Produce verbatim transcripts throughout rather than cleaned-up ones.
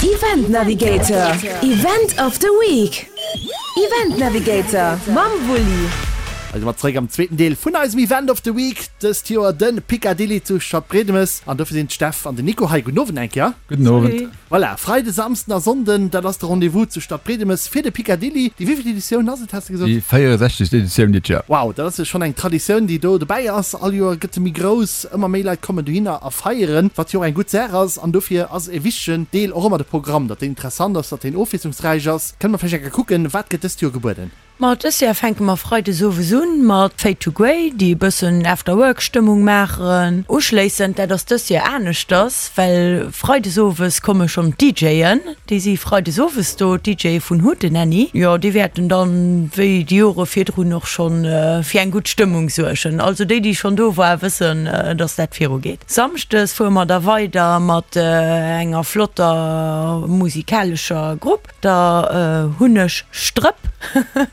Event Navigator, Event of the Week. Event Navigator mam Wulli. Also mat zeréck am zweeten Deel vun eisem Event of the Week, dëst Joer de Picadilly zu Stadbriedemes. An dofir sinn d'Steff an den Nico hei. Gudden Owend eng Kéier. Gudden Owend. Voilà, Freide, Samsden a Sonnden, dat ass de Rendez-vous zu Stadbriedemes fir de Picadilly. Déi wéivilt Editioun ass et, has de gesot? Déi véierundsechzegst Editioun dit Joer. Wow, dat ass jo schonn eng Traditioun, déi do dobäi ass. All Joer gëtt se méi grouss, ëmmer méi Leit kommen dohinner a feieren, wat jo och eng gutt Saach ass. An dofir ass e wichtegen Deel och ëmmer de Programm, datt deen interessant ass, datt deen ofwiesslungsräich ass. Kënne mer vläicht eng Kéier kucken, wat gëtt dëst Joer gebueden? Ma dës Joer fänke mer freides owes un mat Fade to Grey, déi e bëssen After-Work-Stëmmung maachen. Uschléissend, dat ass dës Joer aneschters, well freides owes komme schonn d'DJen, déi si freides owes do, d'DJe vun Hootenanny. Jo, déi wäerten dann, wéi déi Jore virdrun och schonn, fir eng gutt Stëmmung suergen. Also déi, déi schonn do waren, wëssen, dass dat virugeet. Samschdes fuere mer da weider mat enger flotter musikalescher Grupp, der Hunneg Strëpp.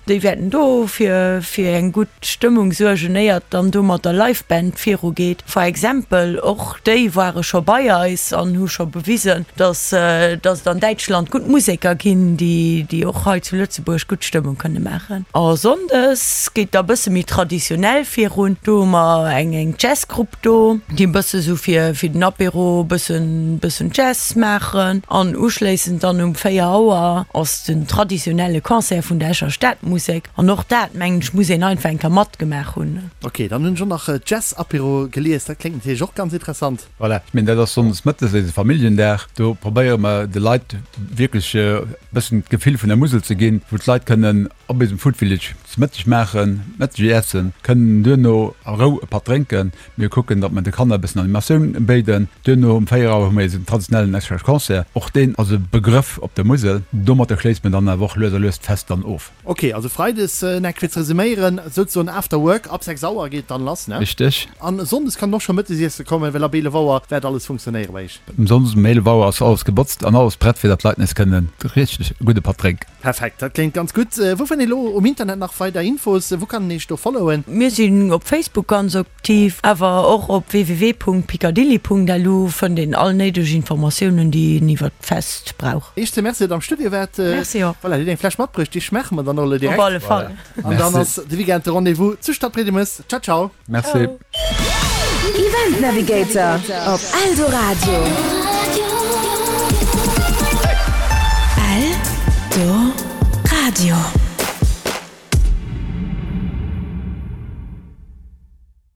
Déi wäerten do fir fir eng gutt Stëmmung suergen, éiert dann do mat der Live Band viru geet. For example, och déi ware scho bei eis an hu scho bewisen, dass dass et an Däitschland gutt Museker ginn, déi déi och hei zu Lëtzebuerg gutt Stëmmung kënne maachen. A Sonndes geet da bësse méi traditionell virun. Do hu mer eng eng Jazzgrupp do, déi e bësse sou fir fir den Apéro bëssen bëssen Jazz maachen. An uschléissend dann um véier Auer ass den traditionelle Concert vun der Escher Stadmusek. An och dat, mengen ech, muss een einfach eng Kéier matgemaach hunn. Ok, dann hunn ech och nach Jazz-Apéro gelies, dat kléngt natierlech och ganz interessant. Voilà, ech mengen, dat ass sonndes mëttes eise Familljendag. Do probéiere mer de Leit wierklech e bëssen d'Gefill vun der Musel ze ginn, wou d'Leit kënnen op eisem Food Village ze Mëtteg maachen, Mëtteg iessen, kënnen duerno a Rou e Patt drénken. Mir kucken, datt mer de Kanner e bëssen Animatioun béiden. Duerno um véier Auer hu mer eisen traditionellen Escher Concert. Och deen ass e Begrëff op der Musel. Domatter schléisst mer dann awer och lues a lues d'Fest dann of. Ok, also Freides, eng fir ze resuméieren, souzesoen After Work, ab sechs Auer geet et dann lass, ne? Richteg. An Sonndes kann een och scho Mëttes iesse kommen, well ab eelef Auer wäert alles funktionéiere bei iech. Um Sonndes um eelef Auer ass alles gebotzt an alles prett, fir datt d'Leit nees kënnen richteg e gudde Patt drénken. Perfekt, dat kléngt ganz gutt. Wou fënnt een elo um Internet nach weider Infos? Wou kann een iech do followen? Mir sinn op Facebook ganz aktiv, awer och op www.picadilly.lu fënnt een all néideg Informatiounen, déi een iwwert d'Fest brauch. Iech ze Merci, datt der am Studio waart. Merci och. Voilà, dir hutt eng Fläsch matbruecht, déi schmaache mer dann och elo direkt. Op alle Fall. An dann ass de Weekend de Rendez-vous zu Stadbriedemes. Ciao, ciao. Merci. Event Navigator op Eldoradio. Eldoradio.